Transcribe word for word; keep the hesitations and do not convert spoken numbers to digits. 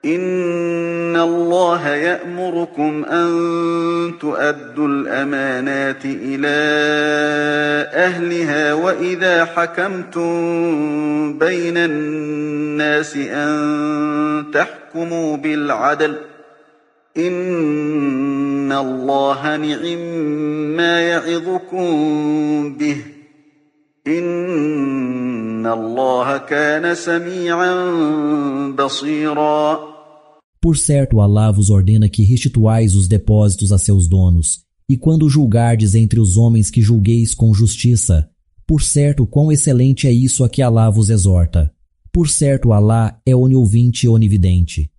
إن الله يأمركم أن تؤدوا الأمانات إلى أهلها وإذا حكمتم بين الناس أن تحكموا بالعدل إن الله نعم ما يعظكم به إن الله كان سميعا بصيرا. Por certo, Alá vos ordena que restituais os depósitos a seus donos, e quando julgardes entre os homens que julgueis com justiça. Por certo, quão excelente é isso a que Alá vos exorta. Por certo, Alá é oniouvinte e onividente.